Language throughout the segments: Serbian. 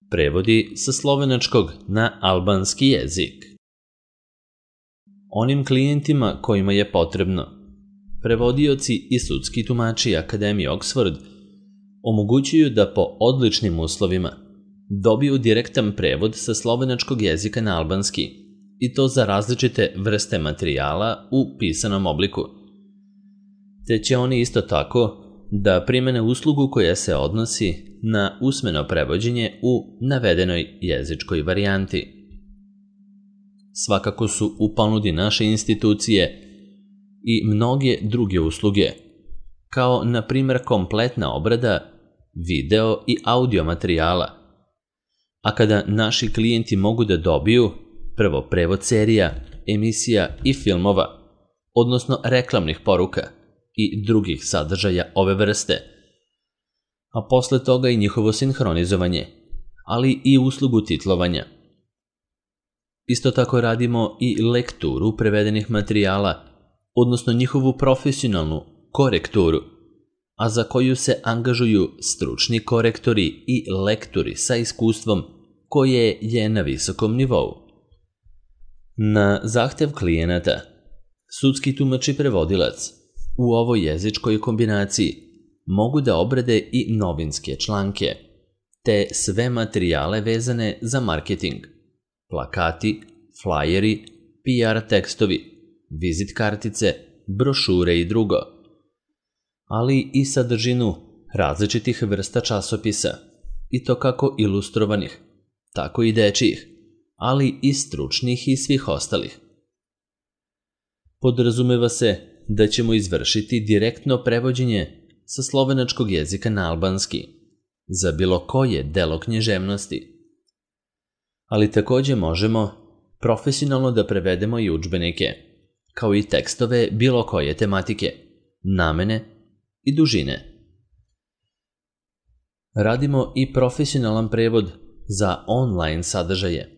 Prevodi sa slovenačkog na albanski jezik. Onim klijentima kojima je potrebno, prevodioci i sudski tumači Akademije Oxford omogućuju da po odličnim uslovima dobiju direktan prevod sa slovenačkog jezika na albanski, i to za različite vrste materijala u pisanom obliku. Te će oni isto tako da primene uslugu koja se odnosi na usmeno prevođenje u navedenoj jezičkoj varijanti. Svakako su u ponudi naše institucije i mnoge druge usluge, kao na primjer kompletna obrada video i audio materijala, a kada naši klijenti mogu da dobiju prvo prevod serija, emisija i filmova, odnosno reklamnih poruka i drugih sadržaja ove vrste, a posle toga i njihovo sinhronizovanje, ali i uslugu titlovanja. Isto tako radimo i lekturu prevedenih materijala, odnosno njihovu profesionalnu korekturu, a za koju se angažuju stručni korektori i lektori sa iskustvom koje je na visokom nivou. Na zahtev klijenata, sudski tumač i prevodilac u ovoj jezičkoj kombinaciji mogu da obrade i novinske članke, te sve materijale vezane za marketing, plakati, flajeri, PR tekstovi, vizit kartice, brošure i drugo, ali i sadržinu različitih vrsta časopisa, i to kako ilustrovanih, tako i dečijih, ali i stručnih i svih ostalih. Podrazumeva se da ćemo izvršiti direktno prevođenje sa slovenačkog jezika na albanski za bilo koje delo književnosti. Ali takođe možemo profesionalno da prevedemo i udžbenike, kao i tekstove bilo koje tematike, namene i dužine. Radimo i profesionalan prevod za online sadržaje,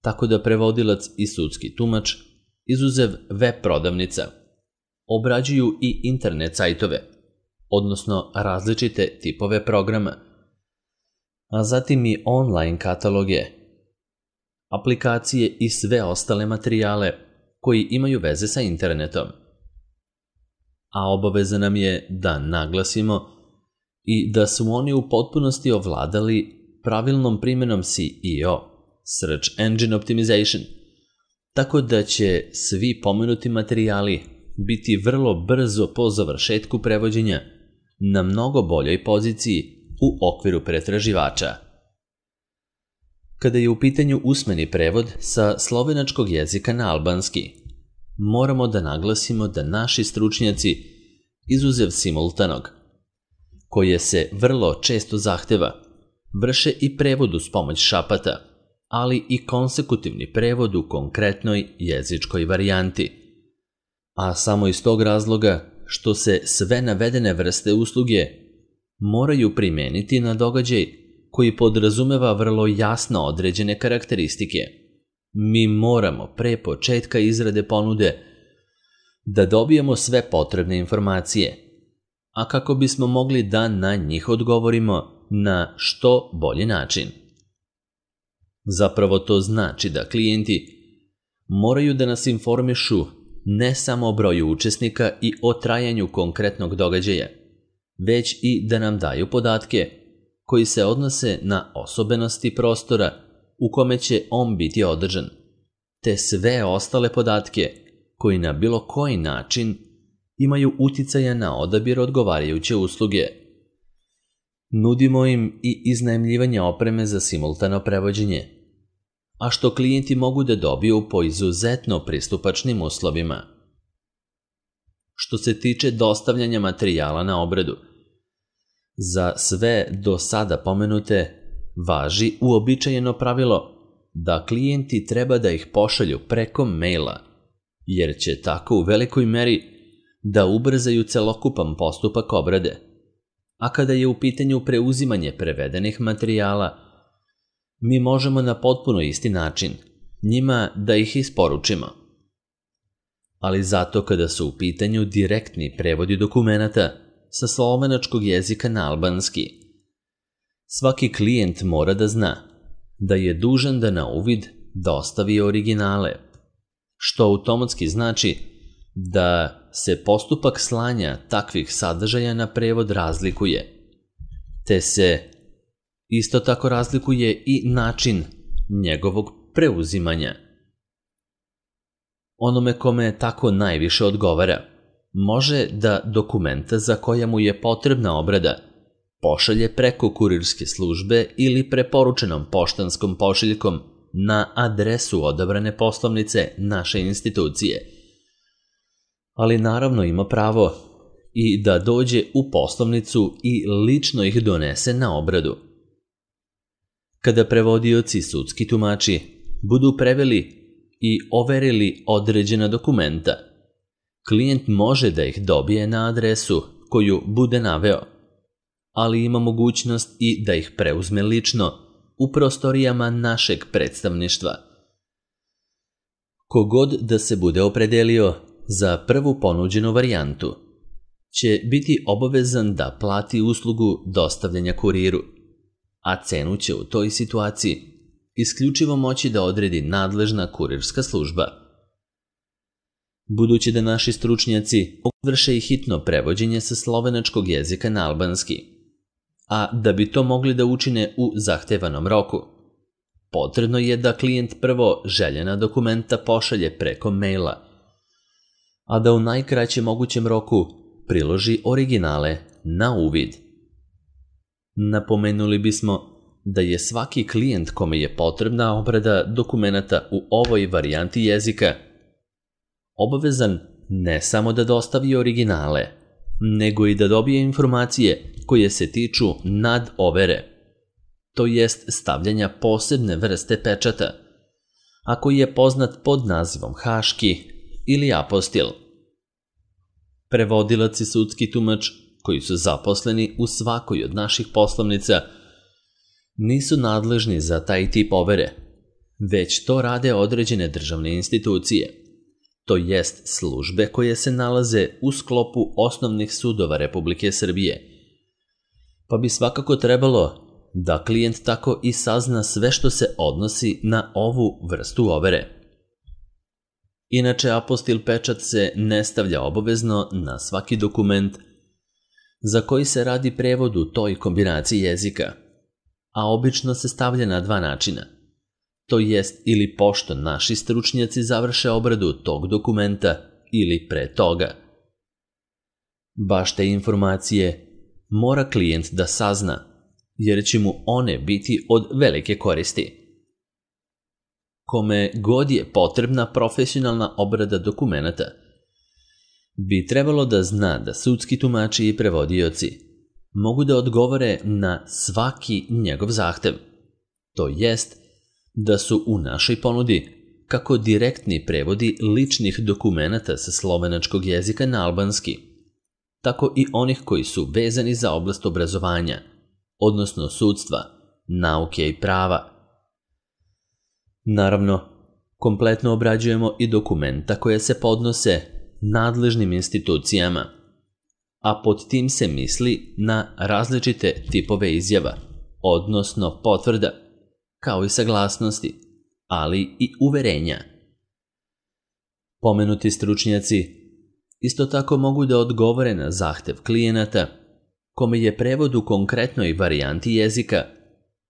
tako da prevodilac i sudski tumač, izuzev web prodavnica, obrađuju i internet sajtove, odnosno različite tipove programa, a zatim i online kataloge, aplikacije i sve ostale materijale koji imaju veze sa internetom. A obaveza nam je da naglasimo i da su oni u potpunosti ovladali pravilnom primjenom SEO, Search Engine Optimization, tako da će svi pomenuti materijali biti vrlo brzo po završetku prevođenja na mnogo boljoj poziciji u okviru pretraživača. Kada je u pitanju usmeni prevod sa slovenačkog jezika na albanski, moramo da naglasimo da naši stručnjaci, izuzev simultanog, koje se vrlo često zahteva, vrše i prevod uz pomoć šapata, ali i konsekutivni prevod u konkretnoj jezičkoj varijanti. A samo iz tog razloga što se sve navedene vrste usluge moraju primeniti na događaj koji podrazumeva vrlo jasno određene karakteristike. Mi moramo pre početka izrade ponude da dobijemo sve potrebne informacije, a kako bismo mogli da na njih odgovorimo na što bolji način. Zapravo to znači da klijenti moraju da nas informišu ne samo o broju učesnika i o trajanju konkretnog događaja, već i da nam daju podatke koji se odnose na osobenosti prostora u kome će on biti održan, te sve ostale podatke koji na bilo koji način imaju uticaja na odabir odgovarajuće usluge. Nudimo im i iznajmljivanje opreme za simultano prevođenje, a što klijenti mogu da dobiju po izuzetno pristupačnim uslovima. Što se tiče dostavljanja materijala na obradu, za sve do sada pomenute važi uobičajeno pravilo da klijenti treba da ih pošalju preko maila, jer će tako u velikoj meri da ubrzaju celokupan postupak obrade. A kada je u pitanju preuzimanje prevedenih materijala, mi možemo na potpuno isti način njima da ih isporučimo. Ali zato kada su u pitanju direktni prevodi dokumenata sa slovenačkog jezika na albanski, Svaki klijent mora da zna da je dužan da na uvid dostavi originale, što automatski znači da se postupak slanja takvih sadržaja na prevod razlikuje, te se isto tako razlikuje i način njegovog preuzimanja. Onome kome tako najviše odgovara, može da dokumenta za koja mu je potrebna obrada pošalje preko kurirske službe ili preporučenom poštanskom pošiljkom na adresu odabrane poslovnice naše institucije. Ali naravno ima pravo i da dođe u poslovnicu i lično ih donese na obradu. Kada prevodioci i sudski tumači budu preveli i overili određena dokumenta, klijent može da ih dobije na adresu koju bude naveo, ali ima mogućnost i da ih preuzme lično u prostorijama našeg predstavništva. Kogod da se bude opredelio za prvu ponuđenu varijantu će biti obavezan da plati uslugu dostavljanja kuriru, a cenu će u toj situaciji isključivo moći da odredi nadležna kurirska služba. Budući da naši stručnjaci vrše i hitno prevođenje sa slovenačkog jezika na albanski, a da bi to mogli da učine u zahtevanom roku, potrebno je da klijent prvo željena dokumenta pošalje preko maila, a da u najkraćem mogućem roku priloži originale na uvid. Napomenuli bismo da je svaki klijent kome je potrebna obrada dokumenata u ovoj varijanti jezika obavezan ne samo da dostavi originale, nego i da dobije informacije koje se tiču nadovere, to jest stavljanja posebne vrste pečata, a koji je poznat pod nazivom haški ili apostil. Prevodilac i sudski tumač koji su zaposleni u svakoj od naših poslovnica nisu nadležni za taj tip overe, već to rade određene državne institucije, to jest službe koje se nalaze u sklopu osnovnih sudova Republike Srbije. Pa bi svakako trebalo da klijent tako i sazna sve što se odnosi na ovu vrstu overe. Inače, apostil pečat se ne stavlja obavezno na svaki dokument za koji se radi prevod u toj kombinaciji jezika, a obično se stavlja na dva načina. To jest ili pošto naši stručnjaci završe obradu tog dokumenta ili pre toga. Baš te informacije mora klijent da sazna, jer će mu one biti od velike koristi. Kome god je potrebna profesionalna obrada dokumenata, bi trebalo da zna da sudski tumači i prevodioci mogu da odgovore na svaki njegov zahtev, to jest da su u našoj ponudi kako direktni prevodi ličnih dokumenata sa slovenačkog jezika na albanski, tako i onih koji su vezani za oblast obrazovanja, odnosno sudstva, nauke i prava. Naravno, kompletno obrađujemo i dokumenta koje se podnose nadležnim institucijama, a pod tim se misli na različite tipove izjava, odnosno potvrda, kao i saglasnosti, ali i uverenja. Pomenuti stručnjaci isto tako mogu da odgovore na zahtev klijenata kome je prevod u konkretnoj varijanti jezika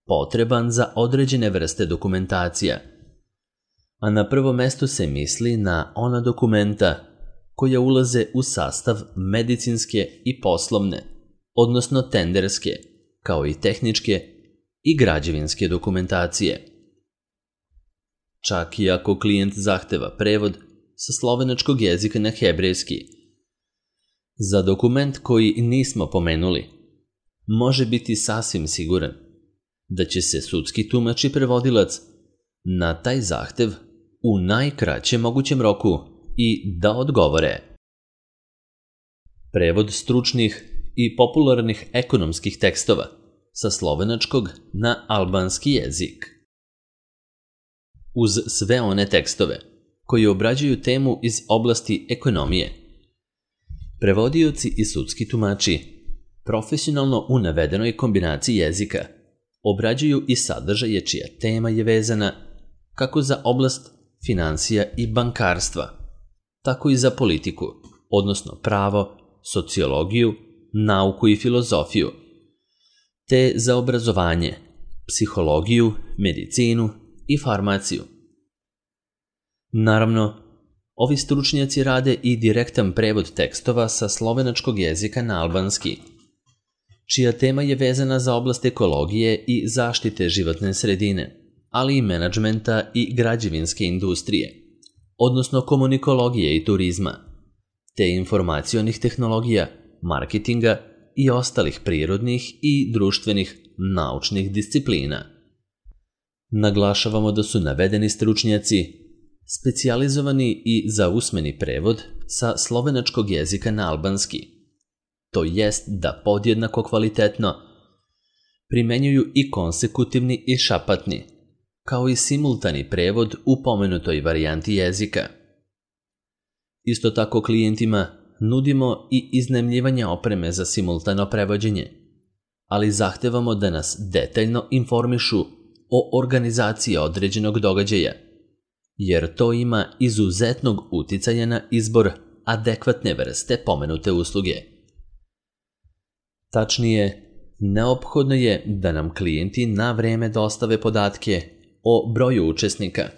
potreban za određene vrste dokumentacija, a na prvo mesto se misli na ona dokumenta koja ulaze u sastav medicinske i poslovne, odnosno tenderske, kao i tehničke i građevinske dokumentacije. Čak i ako klijent zahteva prevod sa slovenačkog jezika na hebrejski, za dokument koji nismo pomenuli, može biti sasvim siguran da će se sudski tumač i prevodilac na taj zahtev u najkraćem mogućem roku i da odgovore. Prevod stručnih i popularnih ekonomskih tekstova sa slovenačkog na albanski jezik. Uz sve one tekstove koji obrađuju temu iz oblasti ekonomije, prevodioci i sudski tumači profesionalno u navedenoj kombinaciji jezika obrađuju i sadržaje čija tema je vezana kako za oblast finansija i bankarstva, tako i za politiku, odnosno pravo, sociologiju, nauku i filozofiju, te za obrazovanje, psihologiju, medicinu i farmaciju. Naravno, ovi stručnjaci rade i direktan prevod tekstova sa slovenačkog jezika na albanski, čija tema je vezana za oblast ekologije i zaštite životne sredine, ali i menadžmenta i građevinske industrije, odnosno komunikologije i turizma, te informacionih tehnologija, marketinga i ostalih prirodnih i društvenih naučnih disciplina. Naglašavamo da su navedeni stručnjaci specijalizovani i za usmeni prevod sa slovenačkog jezika na albanski, to jest da podjednako kvalitetno primenjuju i konsekutivni i šapatni, kao i simultani prevod u pomenutoj varijanti jezika. Isto tako klijentima nudimo i iznajmljivanje opreme za simultano prevođenje, ali zahtevamo da nas detaljno informišu o organizaciji određenog događaja, jer to ima izuzetnog uticaja na izbor adekvatne vrste pomenute usluge. Tačnije, neophodno je da nam klijenti na vreme dostave podatke o broju učesnika,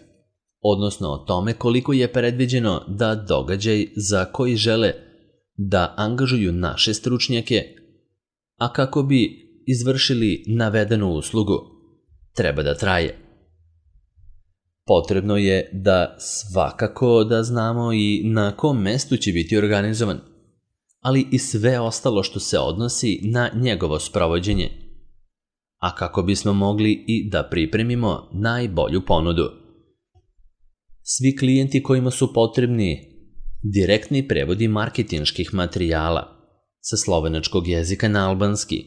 odnosno o tome koliko je predviđeno da događaj za koji žele da angažuju naše stručnjake, a kako bi izvršili navedenu uslugu, treba da traje. Potrebno je da svakako da znamo i na kom mestu će biti organizovan, ali i sve ostalo što se odnosi na njegovo sprovođenje, a kako bismo mogli i da pripremimo najbolju ponudu. Svi klijenti kojima su potrebni direktni prevodi marketinških materijala sa slovenačkog jezika na albanski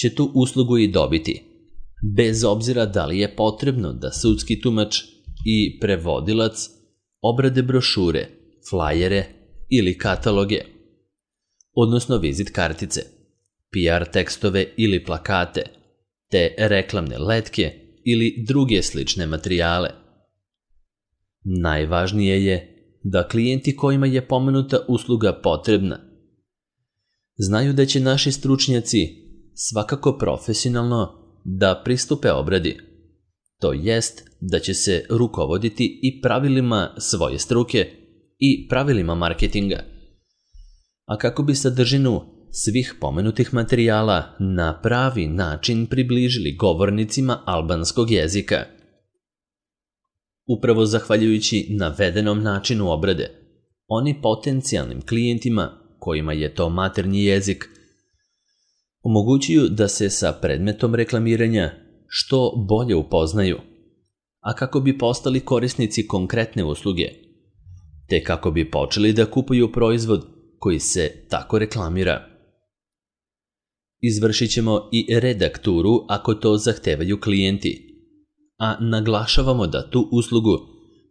će tu uslugu i dobiti, bez obzira da li je potrebno da sudski tumač i prevodilac obrade brošure, flajere ili kataloge, odnosno vizit kartice, PR tekstove ili plakate, te reklamne letke ili druge slične materijale. Najvažnije je da klijenti kojima je pomenuta usluga potrebna znaju da će naši stručnjaci svakako profesionalno da pristupe obradi, to jest da će se rukovoditi i pravilima svoje struke i pravilima marketinga, a kako bi sadržinu svih pomenutih materijala na pravi način približili govornicima albanskog jezika. Upravo zahvaljujući navedenom načinu obrade, oni potencijalnim klijentima kojima je to maternji jezik omogućuju da se sa predmetom reklamiranja što bolje upoznaju, a kako bi postali korisnici konkretne usluge, te kako bi počeli da kupuju proizvod koji se tako reklamira. Izvršit ćemo i redakturu ako to zahtevaju klijenti, a naglašavamo da tu uslugu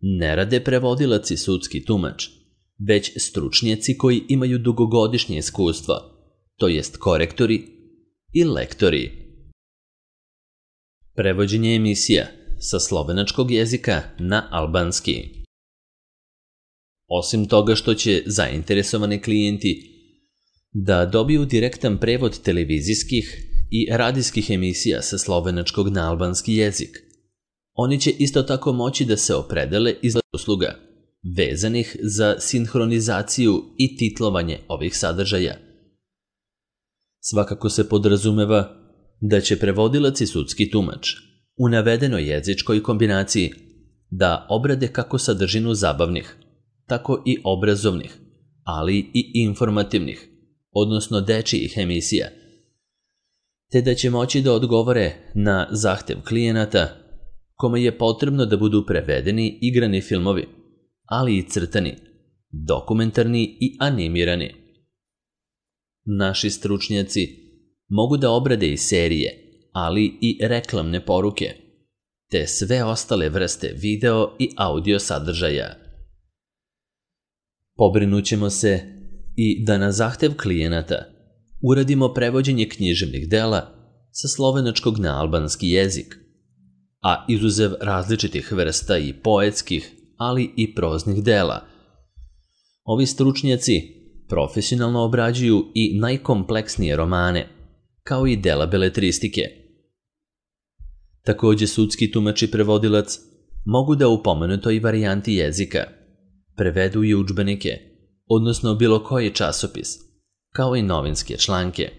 ne rade prevodilac i sudski tumač, već stručnjaci koji imaju dugogodišnje iskustvo, to jest korektori i lektori. Prevođenje emisija sa slovenačkog jezika na albanski. Osim toga što će zainteresovani klijenti da dobiju direktan prevod televizijskih i radijskih emisija sa slovenačkog na albanski jezik, oni će isto tako moći da se opredele iz usluga vezanih za sinhronizaciju i titlovanje ovih sadržaja. Svakako se podrazumeva da će prevodilac i sudski tumač u navedenoj jezičkoj kombinaciji da obrade kako sadržinu zabavnih, tako i obrazovnih, ali i informativnih, odnosno dečijih emisija, te da će moći da odgovore na zahtev klijenata kome je potrebno da budu prevedeni igrani filmovi, ali i crtani, dokumentarni i animirani. Naši stručnjaci mogu da obrade i serije, ali i reklamne poruke, te sve ostale vrste video i audio sadržaja. Pobrinućemo se i da na zahtev klijenata uradimo prevođenje književnih dela sa slovenačkog na albanski jezik, a izuzev različitih vrsta i poetskih, ali i proznih dela. Ovi stručnjaci profesionalno obrađuju i najkompleksnije romane, kao i dela beletristike. Takođe, sudski tumač i prevodilac mogu da u pomenutoj varijanti jezika prevedu i udžbenike, odnosno bilo koji časopis, kao i novinske članke.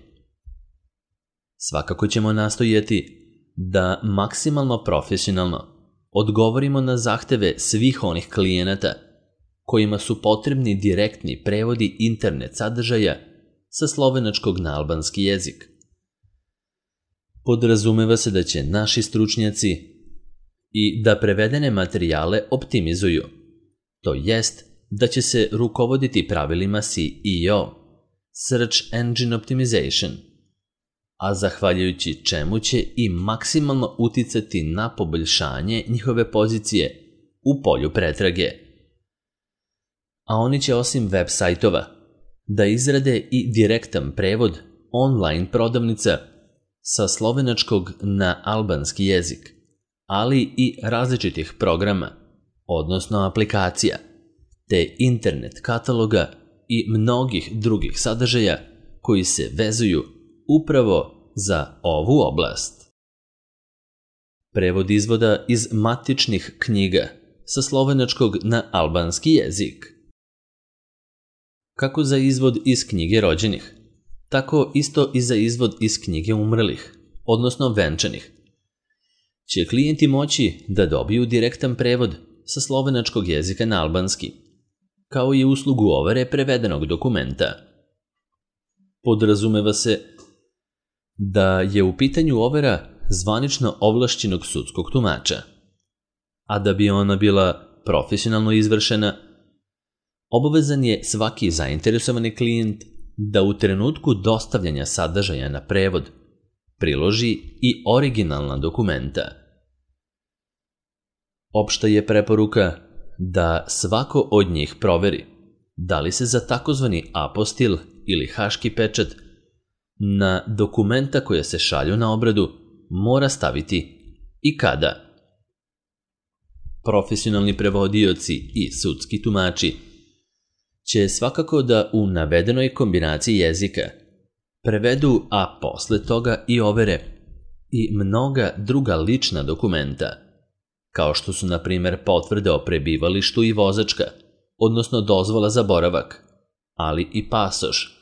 Svakako ćemo nastojati da maksimalno profesionalno odgovorimo na zahteve svih onih klijenata kojima su potrebni direktni prevodi internet sadržaja sa slovenačkog na albanski jezik. Podrazumeva se da će naši stručnjaci i da prevedene materijale optimizuju, to jest da će se rukovoditi pravilima SEO, Search Engine Optimization, a zahvaljujući čemu će i maksimalno uticati na poboljšanje njihove pozicije u polju pretrage. A oni će osim web sajtova da izrade i direktan prevod online prodavnica sa slovenačkog na albanski jezik, ali i različitih programa, odnosno aplikacija, te internet kataloga i mnogih drugih sadržaja koji se vezuju upravo za ovu oblast. Prevod izvoda iz matičnih knjiga sa slovenačkog na albanski jezik. Kako za izvod iz knjige rođenih, tako isto i za izvod iz knjige umrlih, odnosno venčanih, će klijenti moći da dobiju direktan prevod sa slovenačkog jezika na albanski, kao i uslugu overe prevedenog dokumenta. Podrazumeva se da je u pitanju overa zvanično ovlašćenog sudskog tumača, a da bi ona bila profesionalno izvršena, obavezan je svaki zainteresovani klijent da u trenutku dostavljanja sadržaja na prevod priloži i originalna dokumenta. Opšta je preporuka da svako od njih proveri da li se za takozvani apostil ili haški pečat na dokumenta koja se šalju na obradu mora staviti i kada. Profesionalni prevodioci i sudski tumači će svakako da u navedenoj kombinaciji jezika prevedu, a posle toga i overe i mnoga druga lična dokumenta, kao što su, na primer, potvrde o prebivalištu i vozačka, odnosno dozvola za boravak, ali i pasoš.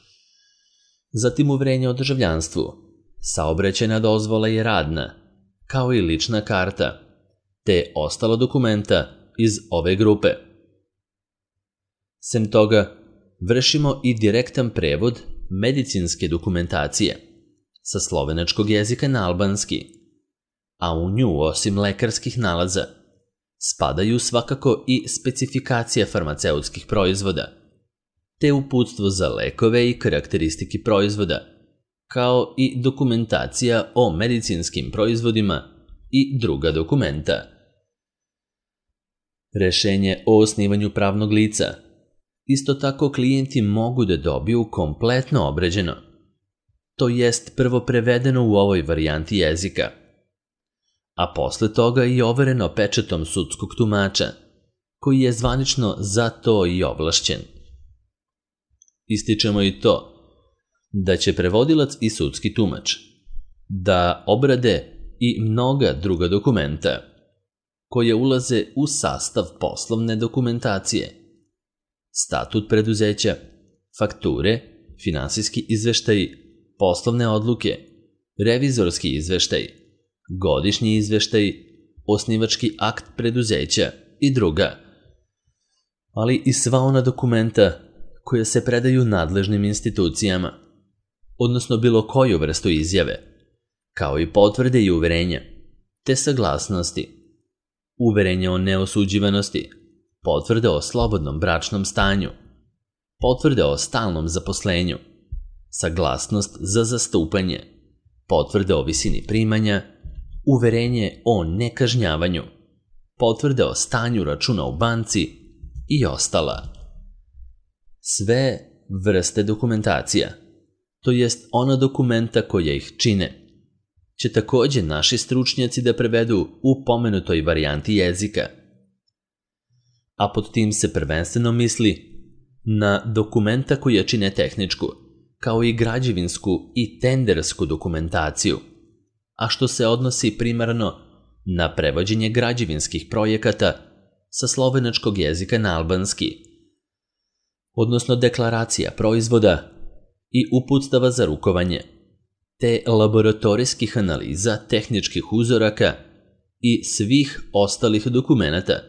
Zatim uverenje o državljanstvu, saobraćajna dozvola i radna, kao i lična karta, te ostala dokumenta iz ove grupe. Sem toga, vršimo i direktan prevod medicinske dokumentacije sa slovenačkog jezika na albanski, a u nju, osim lekarskih nalaza, spadaju svakako i specifikacija farmaceutskih proizvoda, te uputstvo za lekove i karakteristiki proizvoda, kao i dokumentacija o medicinskim proizvodima i druga dokumenta. Rešenje o osnivanju pravnog lica. Isto tako klijenti mogu da dobiju kompletno obrađeno, to jest prvo prevedeno u ovoj varijanti jezika, a posle toga i overeno pečatom sudskog tumača, koji je zvanično za to i ovlašćen. Ističemo i to da će prevodilac i sudski tumač da obrade i mnoga druga dokumenta koje ulaze u sastav poslovne dokumentacije, statut preduzeća, fakture, finansijski izveštaji, poslovne odluke, revizorski izveštaj, godišnji izveštaj, osnivački akt preduzeća i druga, ali i sva ona dokumenta koja se predaju nadležnim institucijama, odnosno bilo koju vrstu izjave, kao i potvrde i uverenja, te saglasnosti, uverenja o neosuđivanosti, potvrde o slobodnom bračnom stanju, potvrde o stalnom zaposlenju, saglasnost za zastupanje, potvrde o visini primanja, uverenje o nekažnjavanju, potvrde o stanju računa u banci i ostala. Sve vrste dokumentacija, to jest ona dokumenta koja ih čine, će također naši stručnjaci da prevedu u pomenutoj varijanti jezika. A pod tim se prvenstveno misli na dokumenta koja čine tehničku, kao i građevinsku i tendersku dokumentaciju, a što se odnosi primarno na prevođenje građevinskih projekata sa slovenačkog jezika na albanski, odnosno deklaracija proizvoda i uputstava za rukovanje, te laboratorijskih analiza tehničkih uzoraka i svih ostalih dokumenata,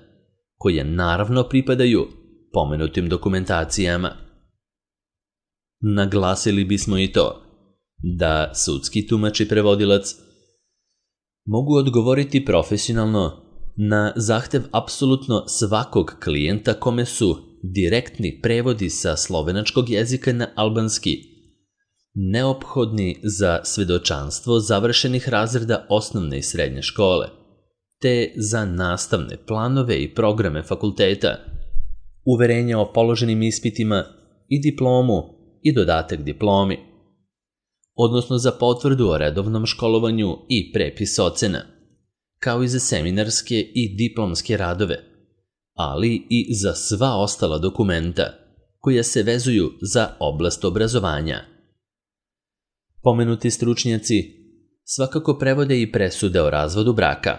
koje naravno pripadaju pomenutim dokumentacijama. Naglasili bismo i to da sudski tumač i prevodilac mogu odgovoriti profesionalno na zahtev apsolutno svakog klijenta kome su direktni prevodi sa slovenačkog jezika na albanski neophodni za svedočanstvo završenih razreda osnovne i srednje škole, te za nastavne planove i programe fakulteta, uverenja o položenim ispitima i diplomu i dodatak diplomi, odnosno za potvrdu o redovnom školovanju i prepis ocena, kao i za seminarske i diplomske radove, ali i za sva ostala dokumenta koja se vezuju za oblast obrazovanja. Pomenuti stručnjaci svakako prevode i presude o razvodu braka,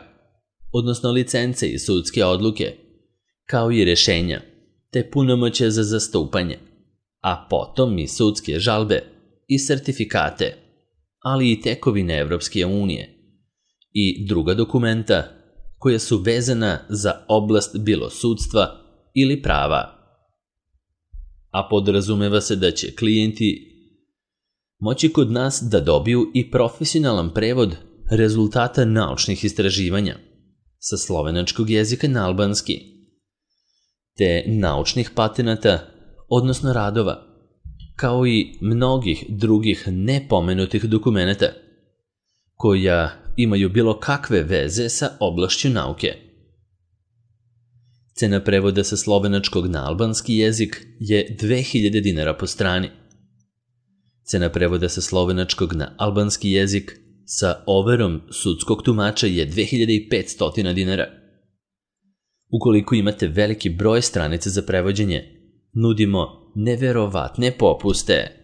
odnosno licence i sudske odluke, kao i rješenja, te punomoćje za zastupanje, a potom i sudske žalbe i sertifikate, ali i tekovine Evropske unije i druga dokumenta koja su vezana za oblast bilo sudstva ili prava. A podrazumeva se da će klijenti moći kod nas da dobiju i profesionalan prevod rezultata naučnih istraživanja sa slovenačkog jezika na albanski, te naučnih patenata, odnosno radova, kao i mnogih drugih nepomenutih dokumenata, koja imaju bilo kakve veze sa oblašću nauke. Cena prevoda sa slovenačkog na albanski jezik je 2000 dinara po strani. Cena prevoda sa slovenačkog na albanski jezik sa overom sudskog tumača je 2500 dinara. Ukoliko imate veliki broj stranica za prevođenje, nudimo neverovatne popuste.